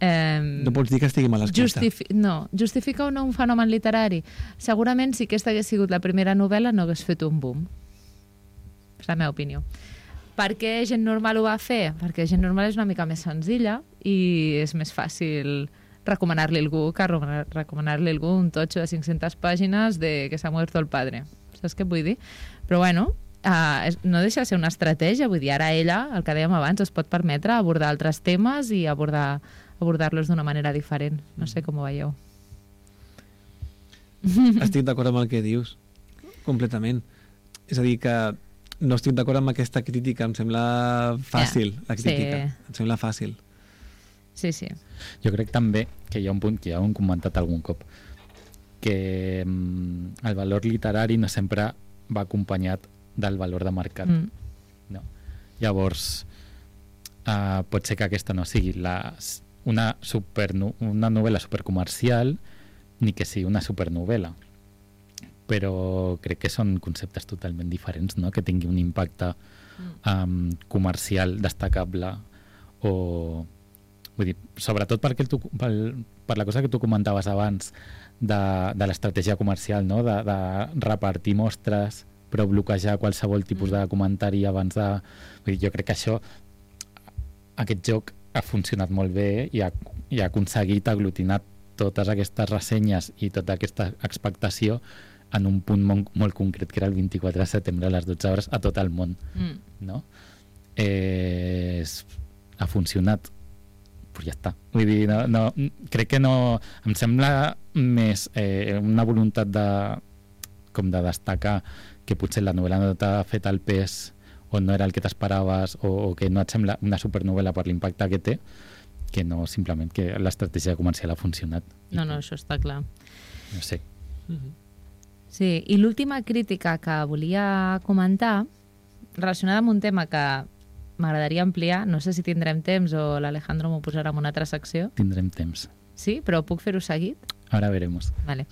Eh, no pots dir que estigui mal escrita. Justifi no, justifica o no un fenomen literari? Segurament, si aquesta hagués sigut la primera novel·la, no hagués fet un boom. És la meva opinió. Per què Gent Normal ho va fer? Perquè Gent Normal és una mica més senzilla i és més fàcil recomanar-li algú que recomanar-li algú un totxo de cinc-centes pàgines de que s'ha muerto el padre. Saps què vull dir? Però bueno, Uh, no deixa de ser una estratègia, vull dir, ara ella, el que dèiem abans, es pot permetre abordar altres temes i abordar abordar-los d'una manera diferent. No sé com ho veieu. Estic d'acord amb el que dius, completament. És a dir, que no estic d'acord amb aquesta crítica, em sembla fàcil, yeah. la crítica. Sí. Em sembla fàcil. Sí, sí. Jo crec també que hi ha un punt que ja ho hem comentat algun cop, que mm, el valor literari no sempre va acompanyat del valor de mercat. Mm. No. Llavors, uh, pot ser que aquesta no sigui la, una, super, una novel·la supercomercial ni que sigui una supernovel·la. Però crec que són conceptes totalment diferents, no? Que tingui un impacte um, comercial destacable o... Vull dir, sobretot perquè tu, per, per la cosa que tu comentaves abans de, de l'estratègia comercial, no? de, de repartir mostres però bloquejar qualsevol tipus de comentari abans de... Vull dir, jo crec que això, aquest joc ha funcionat molt bé i ha, i ha aconseguit aglutinar totes aquestes ressenyes i tota aquesta expectació en un punt molt, molt concret, que era el vint-i-quatre de setembre a les dotze hores a tot el món. Mm. No? Eh, ha funcionat, però ja està. Vull dir, no, no, crec que no... Em sembla més eh, una voluntat de, com de destacar que potser la novel·la no t'ha fet el pes o no era el que t'esperaves o, o que no et sembla una supernovel·la per l'impacte que té, que no simplement que l'estratègia comercial ha funcionat. No, no, això està clar. No sé. Sí, i l'última crítica que volia comentar, relacionada amb un tema que m'agradaria ampliar, no sé si tindrem temps o l'Alejandro m'ho posarà en una altra secció. Tindrem temps. Sí, però puc fer-ho seguit? Ara veremos. Vale.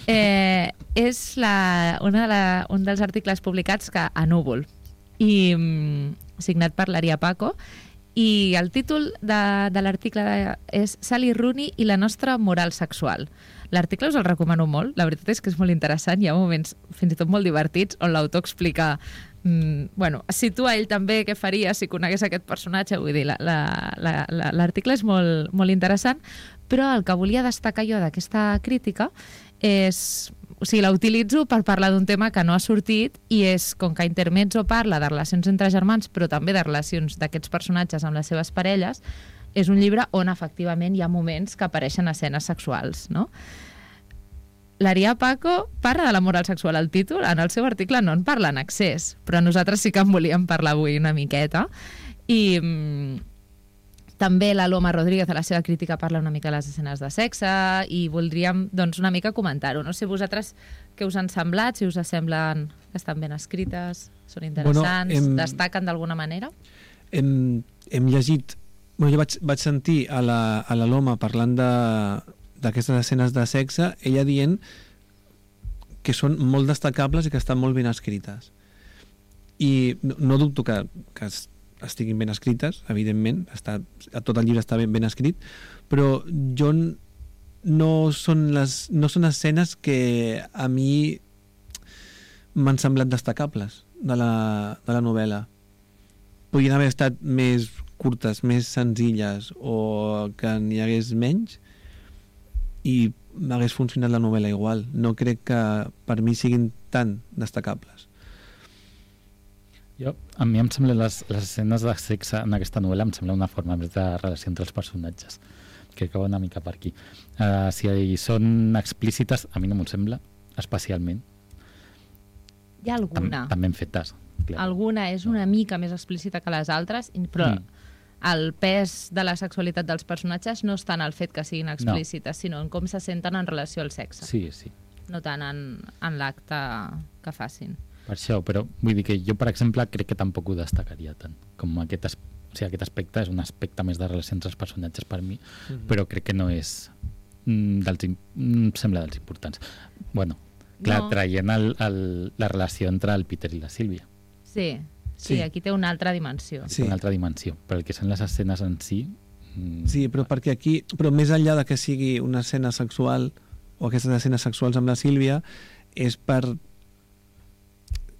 Eh, és la, una de la, un dels articles publicats que a Núvol, i mm, signat per l'Aria Paco, i el títol de, de l'article és Sally Rooney i la nostra moral sexual. L'article us el recomano molt, la veritat és que és molt interessant, hi ha moments fins i tot molt divertits on l'autor explica, mm, bueno, es situa ell també què faria si conegués aquest personatge, vull dir, l'article és molt, molt interessant, però el que volia destacar jo d'aquesta crítica és, o sigui, la utilitzo per parlar d'un tema que no ha sortit i és, com que Intermezzo parla de relacions entre germans, però també de relacions d'aquests personatges amb les seves parelles, és un llibre on efectivament hi ha moments que apareixen escenes sexuals, no? L'Aria Paco parla de la moral sexual al títol, en el seu article no en parla en excés, però nosaltres sí que en volíem parlar avui una miqueta. I mm, també la Loma Rodríguez a la seva crítica parla una mica de les escenes de sexe i voldríem doncs, una mica comentar-ho. No sé vosaltres què us han semblat, si us semblen que estan ben escrites, són interessants, bueno, hem, destaquen d'alguna manera? Hem, hem llegit, bueno, jo vaig, vaig sentir a la, a la Loma parlant de d'aquestes escenes de sexe, ella dient que són molt destacables i que estan molt ben escrites. I no, no dubto que, que estiguin ben escrites, evidentment, està, tot el llibre està ben, ben escrit, però jo no són, les, no són escenes que a mi m'han semblat destacables de la, de la novel·la. Podrien haver estat més curtes, més senzilles, o que n'hi hagués menys, i m'hagués funcionat la novel·la igual. No crec que per mi siguin tan destacables. Jo, a mi em sembla les, les escenes de sexe en aquesta novel·la em sembla una forma més de relació entre els personatges. Crec que va una mica per aquí. Uh, si són explícites, a mi no m'ho sembla, especialment. Hi ha alguna. Tam, també ben fetes. Clar. Alguna és una mica més explícita que les altres, però mm. el pes de la sexualitat dels personatges no està en el fet que siguin explícites, no. sinó en com se senten en relació al sexe. Sí, sí. No tant en, en l'acte que facin. Per això, però vull dir que jo, per exemple, crec que tampoc ho destacaria tant. Com aquest, as... o sigui, aquest aspecte és un aspecte més de relació entre els personatges per mi, mm-hmm. però crec que no és mm, dels, em sembla dels importants. Bueno, clar, no. traient el, el, la relació entre el Peter i la Sílvia. Sí, sí, sí, aquí té una altra dimensió. Sí. Una altra dimensió, però el que són les escenes en si... Mm... Sí, però perquè aquí, però més enllà de que sigui una escena sexual o aquestes escenes sexuals amb la Sílvia, és per...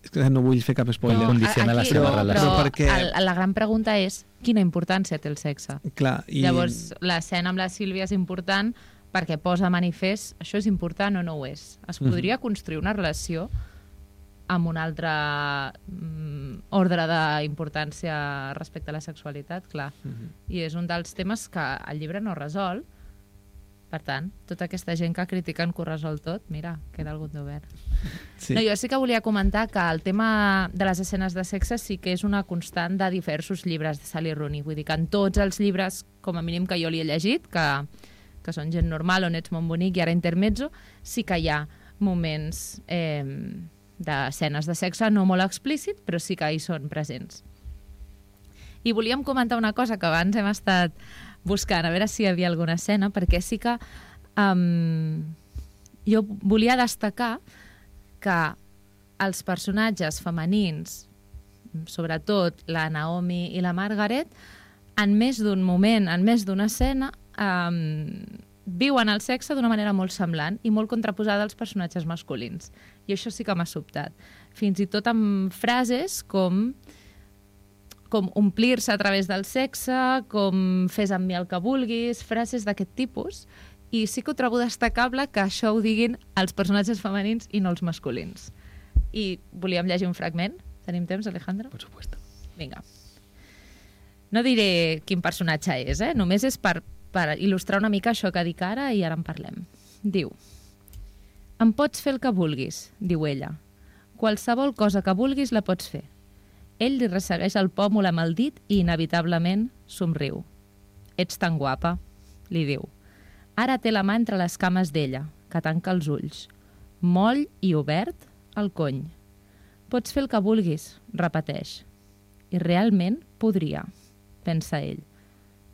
És que no vull fer cap spoiler. No, condiciona la seva no, relació. Però perquè... el, la gran pregunta és quina importància té el sexe? Clar, i... Llavors, l'escena amb la Sílvia és important perquè posa manifest això és important o no ho és. Es podria mm-hmm. construir una relació amb un altre mm, ordre d'importància respecte a la sexualitat, clar. Mm-hmm. I és un dels temes que el llibre no resol. Per tant, tota aquesta gent que critiquen que ho resol tot, mira, queda algun d'obert. Sí. No, jo sí que volia comentar que el tema de les escenes de sexe sí que és una constant de diversos llibres de Sally Rooney. Vull dir que en tots els llibres, com a mínim que jo li he llegit, que, que són Gent normal, On ets molt bonic i ara Intermezzo, sí que hi ha moments eh, d'escenes de sexe no molt explícit, però sí que hi són presents. I volíem comentar una cosa que abans hem estat buscant, a veure si hi havia alguna escena, perquè sí que um, jo volia destacar que els personatges femenins, sobretot la Naomi i la Margaret, en més d'un moment, en més d'una escena, um, viuen el sexe d'una manera molt semblant i molt contraposada als personatges masculins. I això sí que m'ha sobtat. Fins i tot amb frases com... com omplir-se a través del sexe, com fes amb mi el que vulguis, frases d'aquest tipus, i sí que ho trobo destacable que això ho diguin els personatges femenins i no els masculins. I volíem llegir un fragment. Tenim temps, Alejandro? Per supuesto. Vinga. No diré quin personatge és, eh? Només és per, per il·lustrar una mica això que dic ara i ara en parlem. Diu: em pots fer el que vulguis, diu ella. Qualsevol cosa que vulguis la pots fer. Ell li ressegueix el pòmul amb el dit i inevitablement somriu. ets tan guapa, li diu. Ara té la mà entre les cames d'ella, que tanca els ulls. Moll i obert, el cony. Pots fer el que vulguis, repeteix. I realment podria, pensa ell.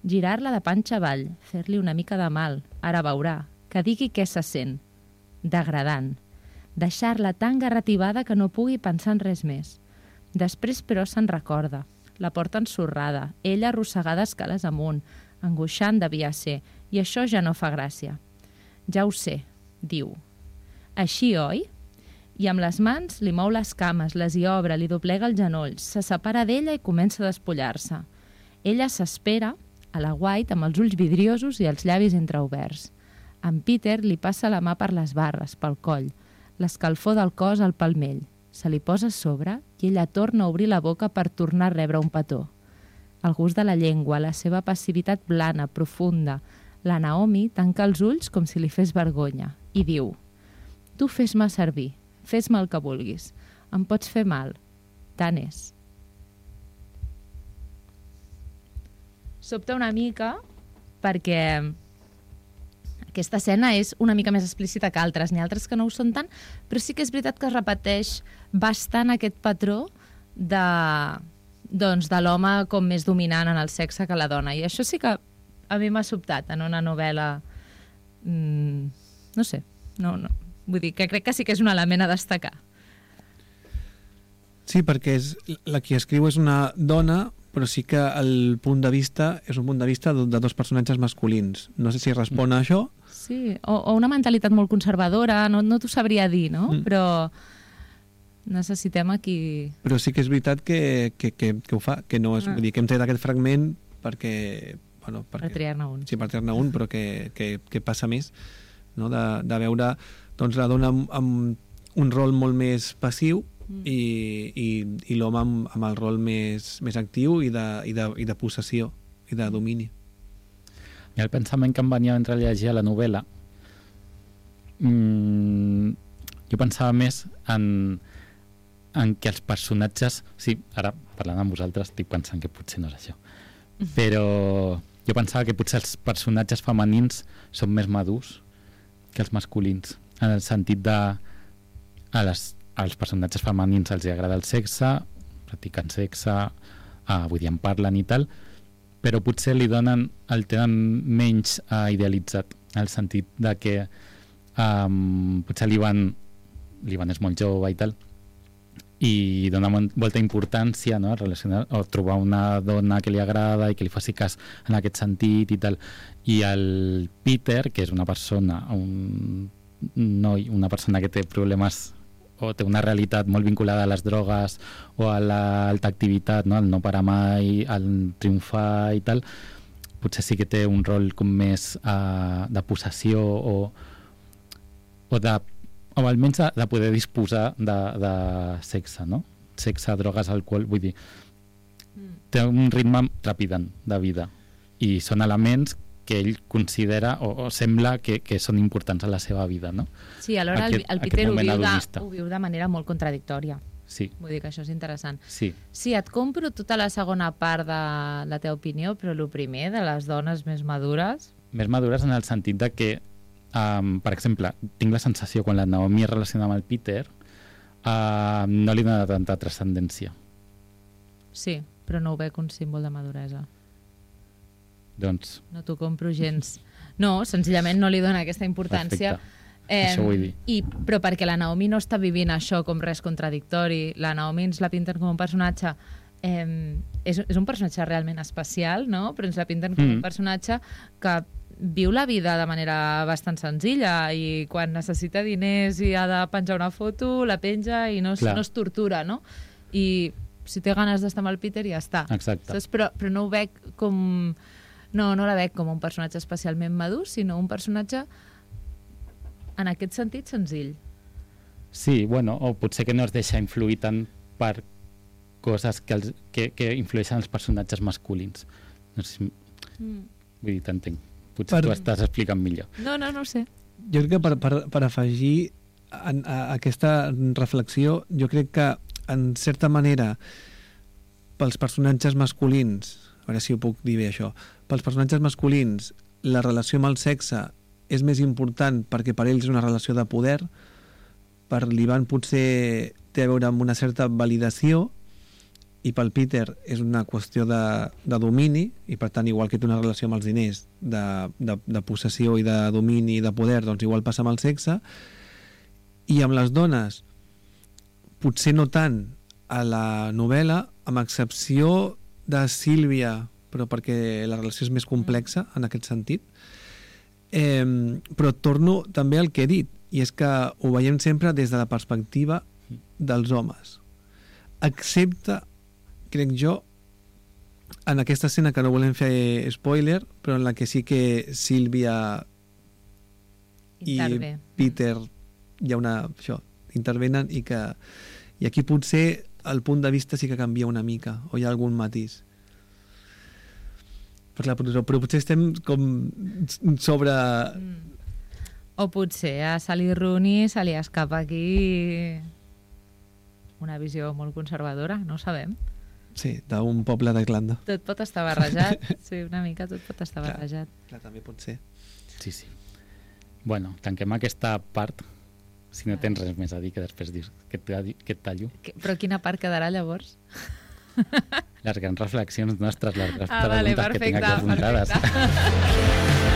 Girar-la de panxa avall, fer-li una mica de mal, ara veurà, que digui què se sent. Degradant. Deixar-la tan garrativada que no pugui pensar en res més. Després, però, se'n recorda. La porta ensorrada, ella arrossegada escales amunt, angoixant devia ser, i això ja no fa gràcia. Ja ho sé, diu. Així, oi? I amb les mans li mou les cames, les hi obre, li doblega els genolls, se separa d'ella i comença a despullar-se. Ella s'espera, a la White, amb els ulls vidriosos i els llavis entreoberts. En Peter li passa la mà per les barres, pel coll, l'escalfor del cos al palmell. Se li posa a sobre i ella torna a obrir la boca per tornar a rebre un petó. El gust de la llengua, la seva passivitat blana, profunda. La Naomi tanca els ulls com si li fes vergonya i diu: tu fes-me servir, fes-me el que vulguis. Em pots fer mal. Tant és. Sobta una mica perquè aquesta escena és una mica més explícita que altres. N'hi ha altres que no ho són tant, però sí que és veritat que es repeteix bastant aquest patró de, doncs, de l'home com més dominant en el sexe que la dona. I això sí que a mi m'ha sobtat en una novel·la... Mm, no sé, no, no. Vull dir que crec que sí que és un element a destacar. Sí, perquè és, la qui escriu és una dona, però sí que el punt de vista és un punt de vista de, de dos personatges masculins. No sé si respon a això. Sí, o, o una mentalitat molt conservadora, no, no t'ho sabria dir, no? Mm. Però necessitem aquí... Però sí que és veritat que, que, que, que ho fa, que no és... Ah. Vull dir, que hem tret aquest fragment perquè... Bueno, perquè, per triar-ne un. Sí, per triar-ne un, però que, que, que passa més, no? de, de veure doncs, la dona amb, amb un rol molt més passiu mm. i, i, i l'home amb, amb el rol més, més actiu i de, i, de, i de possessió i de domini. I el pensament que em venia mentre llegia la novel·la, mmm, jo pensava més en, en que els personatges... Sí, ara parlant amb vosaltres estic pensant que potser no és això, però jo pensava que potser els personatges femenins són més madurs que els masculins, en el sentit de a les, als personatges femenins els agrada el sexe, practiquen sexe, eh, vull dir, en parlen i tal, però potser li donen, el tenen menys eh, idealitzat, en el sentit de que eh, potser l'Ivan l'Ivan és molt jove i tal, i dona molta importància, no?, a relacionar, o trobar una dona que li agrada i que li faci cas en aquest sentit i tal. I el Peter, que és una persona, un noi, una persona que té problemes o té una realitat molt vinculada a les drogues o a l'alta activitat, no?, al no parar mai, al triomfar i tal, potser sí que té un rol com més uh, de possessió o, o de o almenys de, de poder disposar de, de sexe, no? Sexe, drogues, alcohol, vull dir, mm. té un ritme trepidant de vida i són elements que ell considera o, o sembla que, que són importants a la seva vida, no? Sí, alhora aquest, el, el Peter ho viu, de, ho viu de manera molt contradictòria. Sí. Vull dir que això és interessant. Sí. Sí, et compro tota la segona part de la teva opinió, però el primer, de les dones més madures... Més madures en el sentit de que Um, per exemple, tinc la sensació quan la Naomi es relaciona amb el Peter uh, no li dona tanta transcendència. Sí, però no ho veig un símbol de maduresa. Doncs... No t'ho compro gens. No, senzillament no li dona aquesta importància. Eh, això vull dir. I, però perquè la Naomi no està vivint això com res contradictori. La Naomi ens la pinten com un personatge... Eh, és, és un personatge realment especial, no? Però ens la pinten com mm. un personatge que viu la vida de manera bastant senzilla i quan necessita diners i ha de penjar una foto, la penja i no es, no es tortura, no? I si té ganes d'estar amb el Peter ja està. Exacte. Saps? Però, però no ho veig com... No, no la veig com un personatge especialment madur, sinó un personatge en aquest sentit senzill. Sí, bueno, o potser que no es deixa influir tant per coses que, els, que, que influeixen els personatges masculins. No sé si... Mm. Vull dir, t'entenc. Potser per... tu estàs explicant millor. No, no, no ho sé. Jo crec que per, per, per afegir a, a aquesta reflexió, jo crec que en certa manera pels personatges masculins, a veure si ho puc dir bé això, pels personatges masculins la relació amb el sexe és més important perquè per ells és una relació de poder, per l'Ivan potser té a veure amb una certa validació i pel Peter és una qüestió de, de domini i per tant igual que té una relació amb els diners de, de, de possessió i de domini i de poder, doncs igual passa amb el sexe. I amb les dones potser no tant a la novel·la, amb excepció de Sílvia, però perquè la relació és més complexa en aquest sentit. Eh, però torno també al que he dit, i és que ho veiem sempre des de la perspectiva dels homes. Excepte, crec jo, en aquesta escena que no volem fer spoiler, però en la que sí que Sílvia i Intervé. Peter hi ha una, això, intervenen i que i aquí potser el punt de vista sí que canvia una mica o hi ha algun matís. Però, però, però potser estem com sobre... Mm. O potser a Sally Rooney se li escapa aquí una visió molt conservadora, no ho sabem. Sí, d'un poble d'Irlanda. Tot pot estar barrejat, sí, una mica tot pot estar Clar, barrejat. clar, també pot ser. Sí, sí. Bueno, tanquem aquesta part, si no tens res més a dir, que després dius que et, talli- que et tallo. Que- Però quina part quedarà llavors? Les grans reflexions nostres, les grans Ah, vale, preguntes que tinc perfecte, aquí apuntades. perfecte.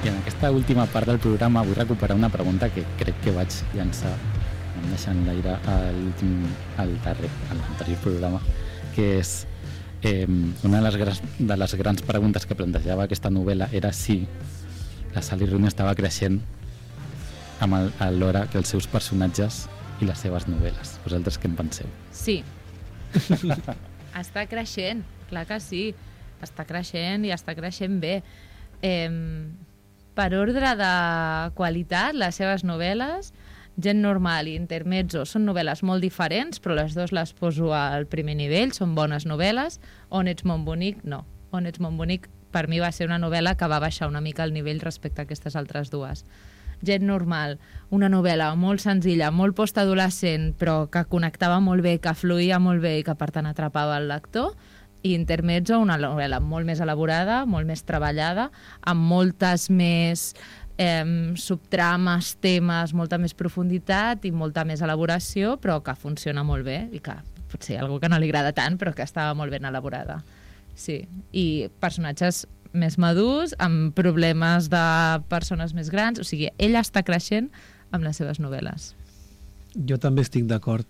I en aquesta última part del programa vull recuperar una pregunta que crec que vaig llançar em deixant l'aire a l'últim, al darrer, a l'anterior programa, que és eh, una de les, grans, de les grans preguntes que plantejava aquesta novel·la era si la Sally Rooney estava creixent amb el, alhora que els seus personatges i les seves novel·les. Vosaltres què en penseu? Sí. Està creixent, clar que sí. Està creixent i està creixent bé. Eh, per ordre de qualitat, les seves novel·les, Gent normal i Intermezzo, són novel·les molt diferents, però les dues les poso al primer nivell, són bones novel·les. On ets mon bonic, no. On ets mon bonic, per mi va ser una novel·la que va baixar una mica el nivell respecte a aquestes altres dues. Gent normal, una novel·la molt senzilla, molt postadolescent, però que connectava molt bé, que fluïa molt bé i que per tant atrapava el lector. I Intermezzo, una novel·la molt més elaborada, molt més treballada, amb moltes més eh, subtrames, temes, molta més profunditat i molta més elaboració, però que funciona molt bé i que potser hi ha algú que no li agrada tant, però que estava molt ben elaborada. Sí, i personatges més madurs, amb problemes de persones més grans, o sigui, ella està creixent amb les seves novel·les. Jo també estic d'acord.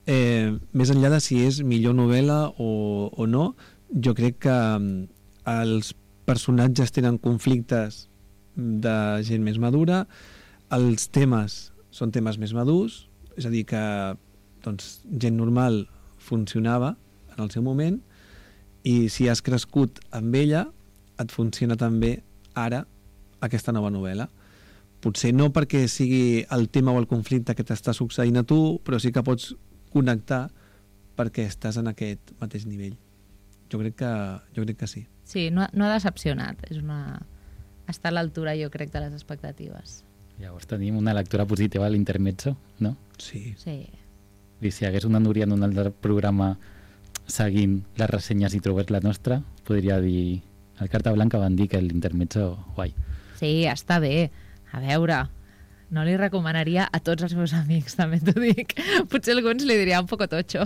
Eh, més enllà de si és millor novel·la o, o no, jo crec que mm, els personatges tenen conflictes de gent més madura, els temes són temes més madurs, és a dir que doncs, Gent normal funcionava en el seu moment i si has crescut amb ella et funciona també ara aquesta nova novel·la. Potser no perquè sigui el tema o el conflicte que t'està succeint a tu, però sí que pots connectar perquè estàs en aquest mateix nivell. Jo crec que, jo crec que sí. Sí, no, no ha decepcionat. És una... Està a l'altura, jo crec, de les expectatives. Llavors tenim una lectura positiva a l'Intermezzo, no? Sí. Sí. I si hi hagués una Núria en un altre programa seguint les ressenyes i trobés la nostra, podria dir... Al Carta Blanca van dir que l'Intermezzo, guai. Sí, està bé. A veure, no li recomanaria a tots els meus amics, també t'ho dic. Potser alguns li diria un poco tocho.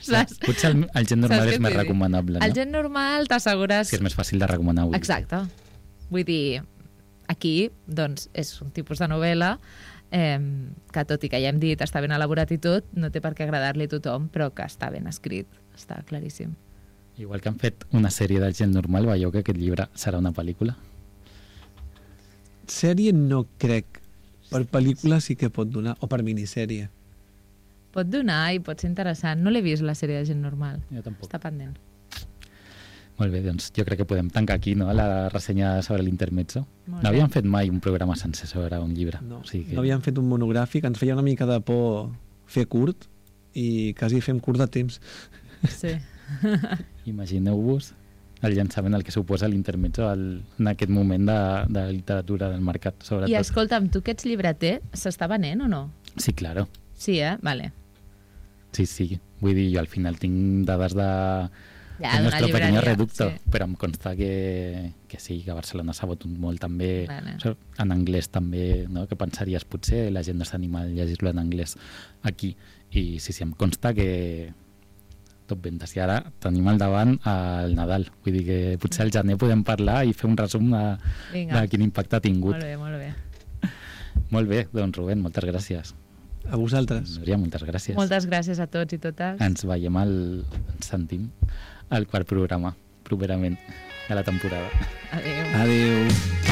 Saps? Potser el, el gent normal Saps és què més t'he dit? recomanable, El no? gent normal t'assegures... Si és més fàcil de recomanar avui. Exacte. Vull dir, aquí, doncs, és un tipus de novel·la eh, que, tot i que ja hem dit, està ben elaborat i tot, no té per què agradar-li a tothom, però que està ben escrit. Està claríssim. Igual que han fet una sèrie del Gent Normal, veieu que aquest llibre serà una pel·lícula? Sèrie no crec. Per pel·lícula sí que pot donar, o per minissèrie. Pot donar i pot ser interessant. No l'he vist, la sèrie de Gent Normal. Jo tampoc. Està pendent. Molt bé, doncs jo crec que podem tancar aquí, no?, la ressenya sobre l'intermezzo. Molt No bé. havíem fet mai un programa sencer sobre un llibre. No, O sigui que... no havíem fet un monogràfic, ens feia una mica de por fer curt i quasi fem curt de temps. Sí. Imagineu-vos el llançament, el que suposa l'intermezzo al- en aquest moment de, de literatura del mercat, sobretot. I escolta'm, tu que ets llibreter, s'està venent o no? Sí, claro. Sí, eh? Vale. Sí, sí. Vull dir, jo al final tinc dades de... Ja, el d'una nostre pequeño llibreria, reducto, sí. però em consta que, que sí, que a Barcelona s'ha botut molt també, Vale. so- en anglès també, no? Que pensaries potser la gent no s'anima a llegir-lo en anglès aquí, i sí, sí, em consta que tot ventes, i ara tenim al davant el Nadal, vull dir que potser al gener podem parlar i fer un resum de, Vinga. de quin impacte ha tingut. Molt bé, molt bé. Molt bé, doncs Rubén, moltes gràcies. A vosaltres. Núria, moltes gràcies. Moltes gràcies a tots i totes. Ens veiem al... ens sentim al quart programa, properament, de la temporada. Adéu. Adéu.